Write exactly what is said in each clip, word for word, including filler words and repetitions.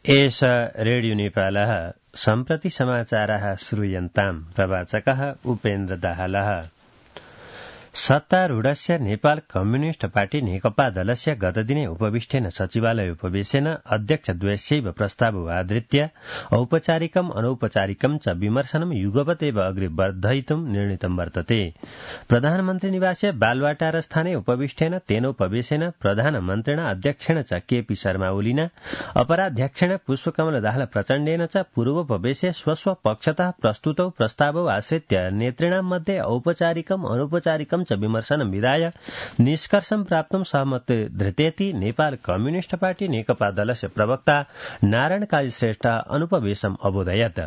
एष रेडियो नेपालः सम्प्रति समाचारः श्रूयन्ताम् प्रवाचकः उपेन्द्र दाहालः। सत्तारूढस्य नेपाल कम्युनिष्ट पार्टी नेकपा दलस्य गतदिने उपविष्टेन सचिवालय उपवेशेन अध्यक्षद्वयस्यैव प्रस्तावमाधृत्य औपचारिकम् अनौपचारिकम् च विमर्शनं युगपत् एव अग्रे वर्धयितुं निर्णीतं वर्तते। प्रधानमन्त्री निवासे बालवाटारस्थाने उपविष्टेन तेनोपवेशेन प्रधानमन्त्रिणा अध्यक्षेण च केपी शर्मा ओलिना अपराध्यक्षेण पुष्पकमल दाहाल प्रचण्डेन च पूर्वोपवेशे स्वस्व पक्षतः प्रस्तुतौ प्रस्तावौ आश्रित्य नेतृणां मध्ये औपचारिकम् अनौपचारिकम् च विमर्शनं विधाय निष्कर्षं प्राप्तुं सहमति धृतेति नेपाल कम्युनिष्ट पार्टी नेकपा दलस्य प्रवक्ता नारायण काजी श्रेष्ठ अनुपवेशम् अबोधयत्।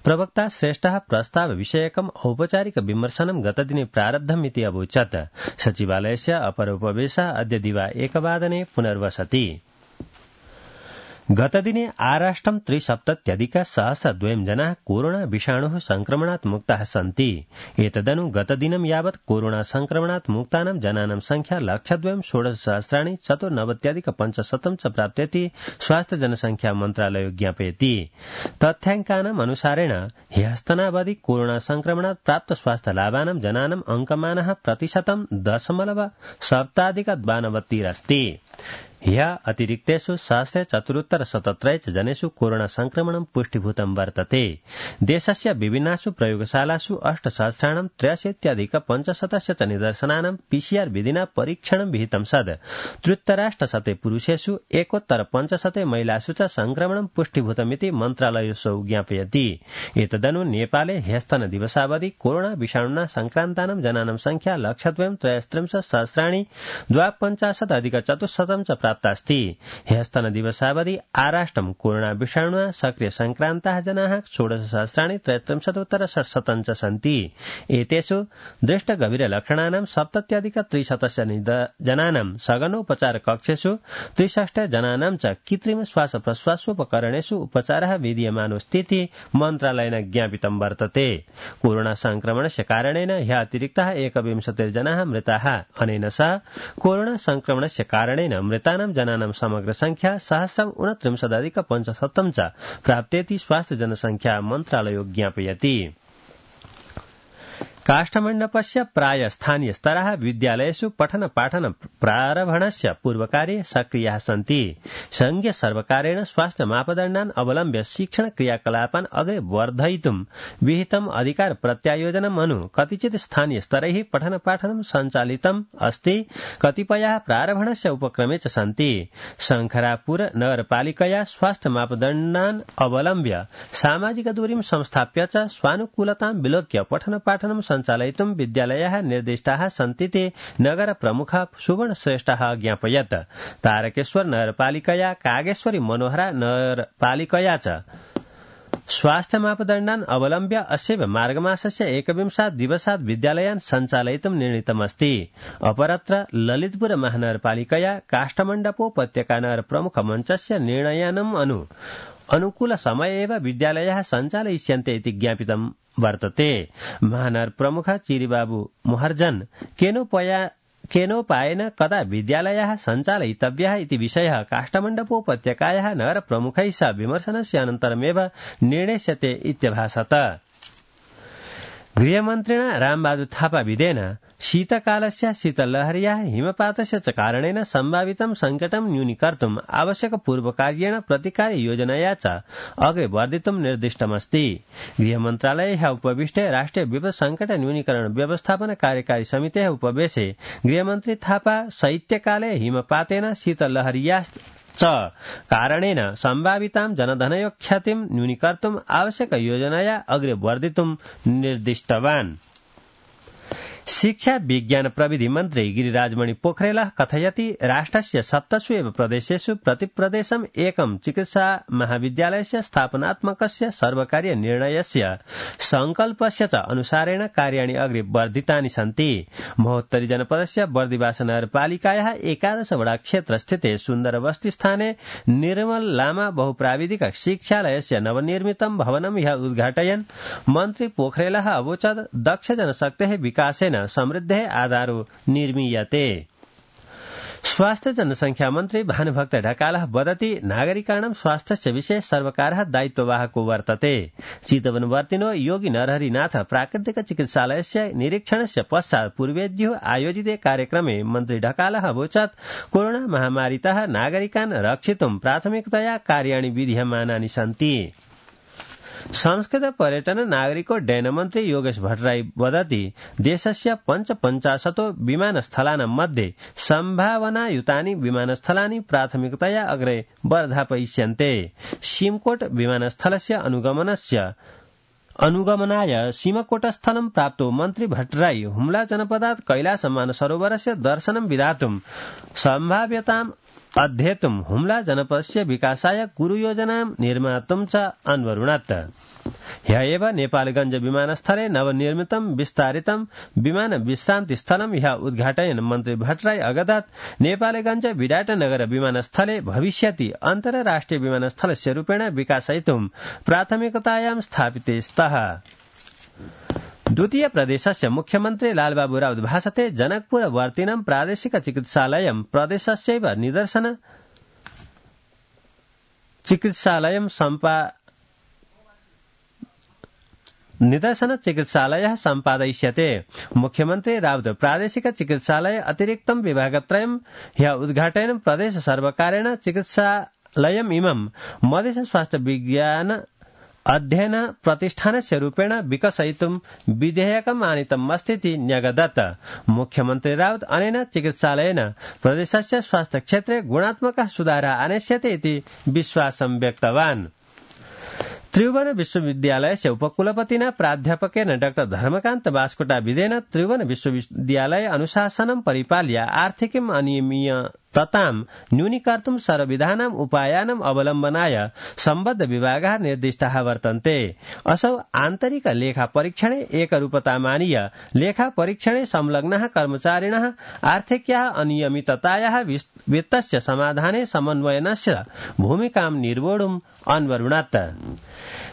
प्रवक्ता श्रेष्ठः प्रस्ताव विषयकम् औपचारिक विमर्शनं गतदिने प्रारब्धमिति अवोचत्। सचिवालयस्य अपर उपवेशः अद्य दिवा एकवादने पुनर्वसति। गतदिने आराष्ट्रं त्रिसप्तत्यधिक सहस्रद्वयं जनाः कोरोना विषाणुः संक्रमणात् मुक्ताः सन्ति। एतदनु गतदिनं यावत् कोरोना संक्रमणात् मुक्तानां जनानां संख्या लक्षद्वयं षोडशसहस्राणि चतुर्नवत्यधिक पञ्चशतं च प्राप्तेति स्वास्थ्य जनसंख्या मन्त्रालयो ज्ञापयति। तथ्याङ्कानाम् अनुसारेण ह्यस्तनावधि कोरोना संक्रमणात् प्राप्त स्वास्थ्य लाभानां जनानाम् अङ्कमानः प्रतिशतं दशमलव सप्ताधिक द्वानवतिरस्ति। ह्य अतिरिक्तेषु सहस्रे चतुरुत्तर शतत्रय च जनेषु कोरोना संक्रमणं पुष्टिभूतं वर्तते। देशस्य विभिन्नासु प्रयोगशालासु अष्टसहस्राणां त्र्यशीत्यधिक पञ्चशतस्य च निदर्शनानां पीसीआर विधिना परीक्षणं विहितं सद् त्र्युत्तराष्टशते पुरुषेषु एकोत्तर पञ्चशते महिलासु च संक्रमणं पुष्टिभूतमिति मन्त्रालयोऽसौ ज्ञापयति। एतदनु नेपाले ह्यस्तन दिवसावधि कोरोना विषाणुना संक्रान्तानां जनानां संख्या लक्षद्वयं त्रयस्त्रिंशत् सहस्राणि द्वापञ्चाशदधिक चतुश्शतं च प्राप्तास्ति। ह्यस्तन दिवसावधि आराष्ट्रं कोरोना विषाणुना सक्रिय संक्रान्ताः जनाः षोडशसहस्राणि त्रयस्त्रिंशदुत्तर षट्शतं च सन्ति। एतेषु दृष्टगभीर लक्षणानां सप्तत्यधिक त्रिशतस्य जनानां सघनोपचार कक्षेषु त्रिषष्टि जनानां च कृत्रिम श्वास प्रश्वासोपकरणेषु उपचारः विधीयमानोऽस्तीति मन्त्रालयेन ज्ञापितं वर्तते। कोरोना संक्रमणस्य कारणेन ह्य अतिरिक्ताः एकविंशतिर्जनाः मृताः। अनेन सह कोरोना संक्रमणस्य कारणेन मृतानां जनानां समग्र संख्या सहस्रम् ऊनत्रिंशदधिक पञ्चशतं च प्राप्तेति स्वास्थ्य जनसंख्या मन्त्रालयो ज्ञापयति। काष्ठमण्डपस्य प्राय स्थानीय स्तराः विद्यालयेषु पठन पाठन प्रारम्भणस्य पूर्वकार्ये सक्रियाः सन्ति। संघीय सर्वकारेण स्वास्थ्य मापदण्डान् अवलम्ब्य शिक्षण क्रियाकलापान् अग्रे वर्धयितुं विहितम् अधिकार प्रत्यायोजनम् अनु कतिचित् स्थानीय स्तरैः पठन पाठनं सञ्चालितम् अस्ति। कतिपयाः प्रारम्भणस्य उपक्रमे च सन्ति। शङ्खरापुर नगरपालिकया स्वास्थ्य मापदण्डान् अवलम्ब्य सामाजिक दूरीं संस्थाप्य च स्वानुकूलतां विलोक्य पठन पाठनं सञ्चालयितुं विद्यालयाः निर्दिष्टाः सन्तीति नगर प्रमुख सुवर्ण श्रेष्ठः ज्ञापयत्। तारकेश्वर नगरपालिकया कागेश्वरी मनोहरा नगरपालिकया च स्वास्थ्य मापदण्डान् अवलम्ब्य अस्यैव मार्गमासस्य एकविंशात् दिवसात् विद्यालयान् सञ्चालयितुं निर्णीतमस्ति। अपरत्र ललितपुर महानगरपालिकया काष्ठमण्डपोपत्यका नगर प्रमुख मञ्चस्य निर्णयानम् अनु अनुकूल समय एव विद्यालयाः सञ्चालयिष्यन्ते इति ज्ञापितं वर्तते। महानगर प्रमुख चिरिबाबु मोहर्जन केनोपया केनोपायेन कदा विद्यालयाः सञ्चालयितव्याः इति विषयः काष्ठमण्डपोपत्यकायाः नगर प्रमुखैः सह विमर्शनस्य अनन्तरमेव निर्णेष्यते इत्यभासत। गृहमन्त्रिणा रामबहादुर थापा विधेन शीतकालस्य शीतलहर्याः हिमपातस्य च कारणेन सम्भावितं सङ्कटं न्यूनीकर्तुम् आवश्यक पूर्वकार्येण प्रतिकार योजनया च अग्रे वर्धितुं निर्दिष्टमस्ति। गृहमन्त्रालये ह्यः उपविष्टे राष्ट्रिय विपद सङ्कट न्यूनीकरण व्यवस्थापन कार्यकारी समितेः उपवेशे गृहमन्त्री थापा शैत्यकाले हिमपातेन शीतलहर्याः च कारणेन सम्भावितां जनधनयो क्षतिं न्यूनीकर्तुम् आवश्यक योजनया अग्रे वर्धितुं निर्दिष्टवान्। शिक्षा विज्ञान प्रविधि मन्त्री गिरिराजमणि पोखरेलः कथयति राष्ट्रस्य सप्तसु एव प्रदेशेषु प्रतिप्रदेशम् एकं चिकित्सा महाविद्यालयस्य स्थापनात्मकस्य सर्वकारीय निर्णयस्य संकल्पस्य च अनुसारेण कार्याणि अग्रे वर्धितानि सन्ति। महोत्तरी जनपदस्य बर्दिवास नगरपालिकायाः एकादश वडा क्षेत्रस्थिते सुन्दरबस्ती स्थाने निर्मल लामा बहुप्राविधिक शिक्षालयस्य नवनिर्मितं भवनं ह्यः उद्घाटयन् मन्त्री पोखरेलः अवोचत् दक्ष जनशक्तेः विकासेन समृद्धेः आधारो निर्मीयते। स्वास्थ्य जनसंख्या मन्त्री भानुभक्त ढकालः वदति नागरिकाणां स्वास्थ्यस्य विषये सर्वकारः दायित्ववाहको वर्तते। चितवनवर्तिनो योगी नरहरिनाथ प्राकृतिक चिकित्सालयस्य निरीक्षणस्य पश्चात् पूर्वेद्यो आयोजिते कार्यक्रमे मन्त्री ढकालः अवोचत् कोरोना महामारीतः नागरिकान् रक्षितुं प्राथमिकतया कार्याणि विधीयमानानि सन्ति। संस्कृत पर्यटन नागरिकोड्डयन मन्त्री योगेश भट्टराई वदति देशस्य पञ्चपञ्चाशतो विमानस्थलानां मध्ये सम्भावनायुतानि विमानस्थलानि प्राथमिकतया अग्रे वर्धापयिष्यन्ते। सिमकोट विमानस्थलस्य अनुगमनस्य अनुगमनाय सीमकोटस्थलं प्राप्तो मन्त्री भट्टराई हुम्ला जनपदात् कैलास मानसरोवरस्य दर्शनं विधातुं सम्भाव्यताम् अध्येतुं हुम्ला जनपदस्य विकासाय गुरुयोजनां निर्मातुं च अन्वरुणत्। ह्य एव नेपालगंज विमानस्थले नवनिर्मितं विस्तारितं विमान विश्रान्ति स्थलं ह्य उद्घाटयन् मन्त्री भट्टराई अगदत् नेपालगंज विराटनगर विमानस्थले भविष्यति अन्तर्राष्ट्रिय विमानस्थलस्य रूपेण विकासयितुं प्राथमिकतायां स्थापिते स्तः। द्वितीय प्रदेशस्य मुख्यमन्त्री लालबाबू राउत भाषते जनकपुर वर्तिनं प्रादेशिक चिकित्सालयं प्रदेशस्यैव निदर्शन चिकित्सालयं सम्पा निदर्शन चिकित्सालयः सम्पादयिष्यते। मुख्यमन्त्री राउत प्रादेशिक चिकित्सालय अतिरिक्तं विभागत्रयं ह्य उद्घाटयन् प्रदेश सर्वकारेण चिकित्सालयम् इमं मधेश स्वास्थ्य विज्ञान अध्ययन प्रतिष्ठानस्य रूपेण विकसयितुं विधेयकम् आनीतम् अस्तीति न्यगदत्। मुख्यमन्त्री राउत अनेन चिकित्सालयेन प्रदेशस्य स्वास्थ्य क्षेत्रे गुणात्मकः सुधारः आनेष्यते इति विश्वासं व्यक्तवान्। त्रिभुवन विश्वविद्यालयस्य उपकुलपतिना प्राध्यापकेन डाक्टर धर्मकान्त बास्कोटाविदेन त्रिभुवन विश्वविद्यालय अनुशासनं परिपाल्य आर्थिकीम् अनियमिततां न्यूनीकर्तुं सर्वविधानाम् उपायानाम् अवलम्बनाय सम्बद्ध विभागाः निर्दिष्टाः वर्तन्ते। असौ आन्तरिक लेखा परीक्षणे एकरूपतामानीय लेखा परीक्षणे संलग्नाः कर्मचारिणः आर्थिक्याः अनियमिततायाः वित्तस्य समाधाने समन्वयनस्य भूमिकां निर्वोढुम् अन्वरुणत्।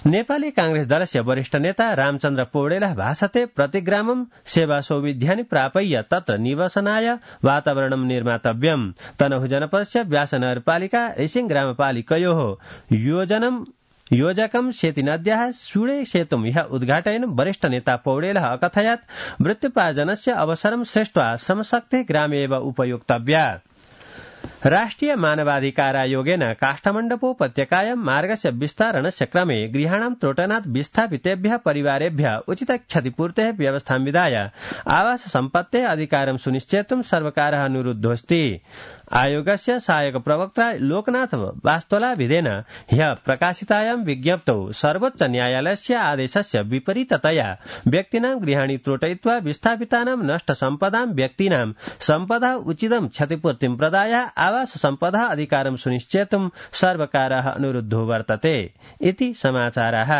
नेपाली कांग्रेस दलस्य वरिष्ठ नेता रामचन्द्र पौडेलः भाषते प्रतिग्रामं सेवा सौविध्यानि प्रापय्य तत्र निवसनाय वातावरणं निर्मातव्यम्। तनहु जनपदस्य व्यास नगरपालिका रेसिंग ग्रामपालिकयोः योजनं योजकं सेतीनद्याः सुळे सेतुं ह्य उद्घाटयन् वरिष्ठ नेता पौडेलः अकथयत् वृत्त्योपार्जनस्य अवसरं सृष्ट्वा श्रमशक्तिः ग्रामे एव उपयोक्तव्या। राष्ट्रिय मानवाधिकारायोगेन काष्ठमण्डपोपत्यकायां मार्गस्य विस्तारणस्य क्रमे गृहाणां त्रोटनात् विस्थापितेभ्यः परिवारेभ्यः उचित क्षतिपूर्तेः व्यवस्थां विधाय आवास सम्पत्तेः अधिकारं सुनिश्चेतुं सर्वकारः अनुरुद्धोऽस्ति। आयोगस्य सहायक प्रवक्ता लोकनाथ वास्तोलाविदेन ह्यः प्रकाशितायां विज्ञप्तौ सर्वोच्च न्यायालयस्य आदेशस्य विपरीततया व्यक्तीनां गृहाणि त्रोटयित्वा विस्थापितानां नष्टसम्पदां व्यक्तीनां सम्पदा उचितं क्षतिपूर्तिं प्रदाय आवास सम्पदा अधिकारं सुनिश्चेतुं सर्वकारः अनुरुद्धो वर्तते इति समाचारः।